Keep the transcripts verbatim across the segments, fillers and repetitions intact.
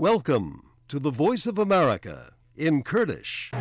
Welcome to the Voice of America in Kurdish.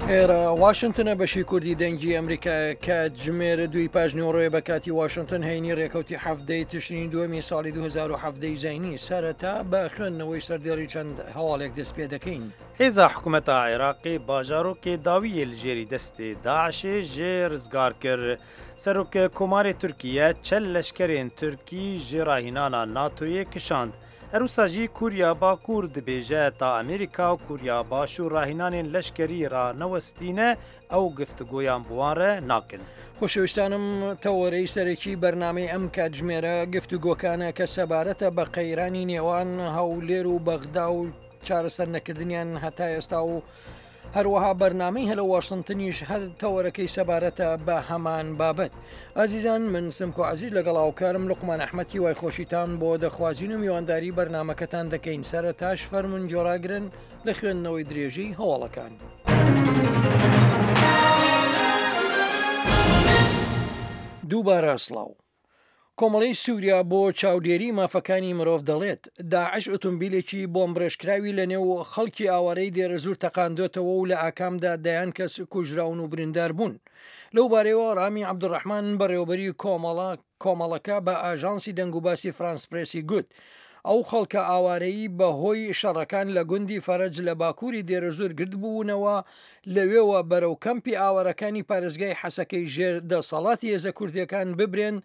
ئێرە واشنتنە بەشی کوردی دەنگی ئەمریکا کاتژمێر دووی پاش نیوەڕۆیە بە کاتی واشنتن هەینی ڕێکەوتی حەفتەی تشرینی دووەمی ساڵی دوو هەزار و حەڤدە ی زینی سەرەتا بە خوێندنەوەی سەردێڕی چەند هەواڵێک دەست پێ دەکەین. Hêza hikûmeta Iraqê bajarokê dawiyê li jêrî destê DAIŞ'ê jê rizgar kir. Serok Komarê Tirkiye çel leşkerên Tirkî ji rahînana NATOyê kişand. Her wisa jî Koriya Bakur dibêje ta Amerîka û Koriya Başûr rahînanên leşkerî ranewestîne ew giftigoyan bi wan re nakin. خۆشەویستانم تەوەرەی سەرەکی بەرنامەی ئەم کاتژمێرە گفتوگۆکانە کە سەبارەتە بە قەیرانی نێوان هەولێر و بەغدا و چارەسەر نەکردنیان هەتا ئێستا و هەروەها بەرنامەی هەلە واشنتنیش هەر تەوەرەکەی سەبارەتە بە هەمان بابەت. ئازیزان من سمکۆ عەزیز لەگەڵ هاوکارم لوقمان ئەحمەد هیوای خۆشیتان بۆ دەخوازین و میوانداری بەرنامەکەتان دەکەین. سەرەتاش فەرموون گۆڕاگرن لە خوێندنەوەی درێژەی هەواڵەکان. دووبارە سڵاو. کۆمەڵەی سووریا بۆ چاودێری مافەکانی مرۆڤ دەڵێت، داعش ئۆتۆمبیلێکی بۆمبڕێژکراوی لەنێو خەڵکی ئاوارەی دێرەزوور تەقاندۆتەوە و لە ئاکامدا دەیان کەس کوژراون و بریندار بوون. لەو بارەیەوە ڕامی عەبدولڕەحمان بەڕێوەبەری کۆمەڵە کۆمەڵەکە بە ئاژانسی دەنگوباسی فرانس پرێسی گوت، ئەو خەڵکە ئاوارەیی بە هۆی شەڕەکان لە گوندی فەرەج لە باکووری دێرەزوور گردبوونەوە، لەوێوە بەرەو کەمپی ئاوارەکانی پارێزگای حەسەکەی ژێر دەسەڵاتی هێزە کوردییەکان ببرێن،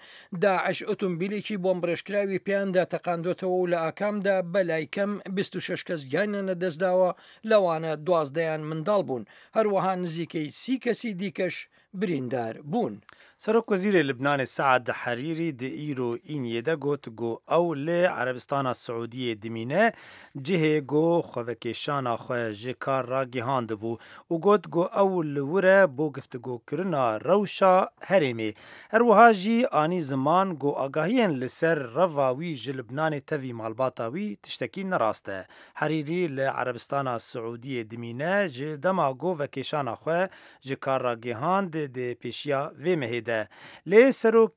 داعش ئۆتۆمبیلێکی بۆمبڕێژکراوی پێیاندا تەقاندۆتەوە و لە ئاکامدا بەلای کەم بیست و شەش کەس گیانیان لەدەستداوە، لەوانە دوازدەیان منداڵ بوون، هەروەها نزیکەی سی کەسی دیکەش بریندار بوون. Serok Wezîrê Libnanê Saad Herîrî di îro îniyê de got ku ew li Erebistana Siûdiyê dimîne, cihê ku xwevekêşana xwe ji kar ragihandibû û got ku ew li wir e bo giftigokirina rewşa herêmê. Her wiha jî anî ziman ku agahiyên li ser reva wî ji Libnanê tevî malbata wî tiştekî nerast e. Herîrî li Erebistana Siûdiyê dimîne ji dema ku vekêşana xwe ji kar ragihand di pêşiya vê mehê de. Lê serok,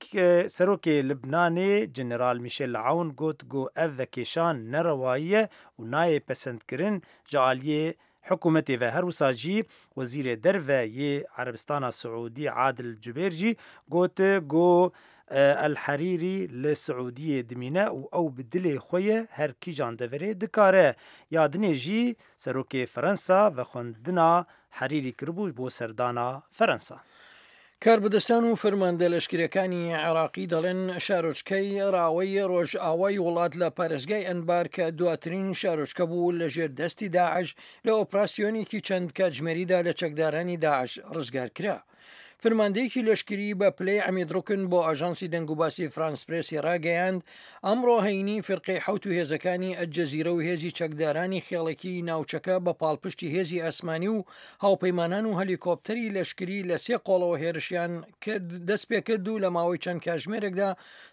serokê Libnanê General Michel Aoun got ku ev vekêşan nerewayî ye û nayê pesendkirin ji aliyê hikûmetê ve. Her wisa jî Wezîrê Derve yê Erebistana Siûdî Adil Cubêr jî got ku El Herîrî li Siûdiyê dimîne û ew bi dilê xwe ye her kîjan deverê dikare. Ya dinê jî serokê Ferensa vexwendina Herîrî kiribû bo serdana Ferensa. کاربەدەستان و فەرماندە لەشکریەکانی عێراقی دەڵێن شارۆچکەی ڕاوەی ڕۆژئاوای وڵات لە پارێزگای ئەنبار کە دواترین شارۆچکە بوو لەژێر دەستی داعش لە ئۆپراسیۆنێکی چەند کاتژمێریدا لە چەکدارانی داعش ڕزگار کرا. فرماندەیەکی لەشکری بە پلەی عەمید ڕوکن بۆ ئاژانسی دەنگوباسی فرانس پرێسی ڕاگەیاند، ئەمڕۆ هەینی فیرقەی حەوت و هێزەکانی ئەلجەزیرە و هێزی چەکدارانی خێڵەکیی ناوچەکە بە پاڵپشتی هێزی ئاسمانی و هاوپەیمانان و هەلیکۆپتەری لەشکری لە سێ قۆڵەوە هێرشیان کرد دەستپێکرد و لە ماوەی چەند کاژمێرێکدا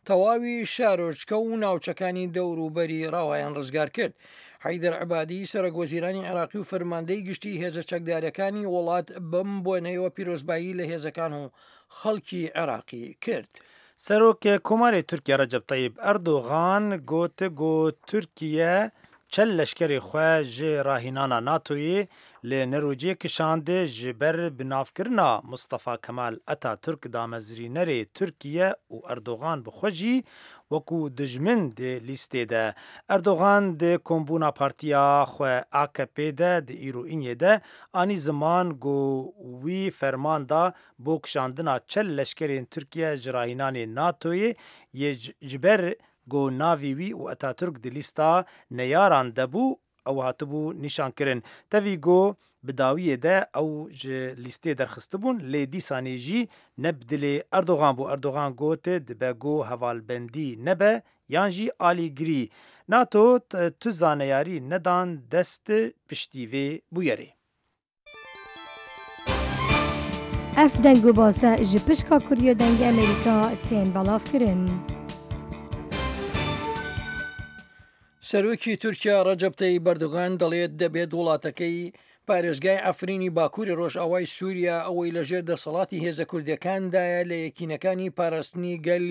تەواوی شارۆچکە و ناوچەکانی دەوروبەری ڕاوایان ڕزگار کرد. حەیدەر عەبادی سەرۆک وەزیرانی عێراقی و فەرماندەی گشتی هێزە چەکدارەکانی وڵات بەم بۆنەیەوە پیرۆزبایی لە هێزەکان و خەڵکی عێراقی کرد. Serok Komarê Tirkiye Recep Tayyip Erdogan got ku Tirkiye çel leşkerê xwe ji rahînana NATOyê li Nerocê kişand ji ber binavkirina Mustafa Kemal Atatürk damezrînerê Tirkiye û Erdogan bi xwe jî wekû dijmin di lîstê de. Erdogan di kombûna partiya xwe A K P de di îro îniyê de anî ziman ku wî ferman da bo kişandina çel leşkerên Tirkiye ji rahînanê NATOyê yê ji ber ku navê wî û Atatürk di lîsta neyaran de bû ew hatibû nîşankirin. Tevî ku bi dawiyê de ew ji lîstê derxistibûn lê dîsanê jî ne bi dilê Erdogan bû. Erdogan got dibe ku hevalbendî nebe yan jî alîgirî. NATO tu zaneyarî nedan dest piştî vê bûyerê. Ev deng û base ji pişka Kurdiya Dengê Amerîka tên belavkirin. سەرۆکی تورکیا ڕەجەب تەیب ئەردۆغان دەڵێت دەبێت وڵاتەکەی پارێزگای عەفرینی باکووری ڕۆژئاوای سووریا ئەوەی لەژێر دەسەڵاتی هێزە کوردیەکاندایە لە یەکینەکانی پاراستنی گەلی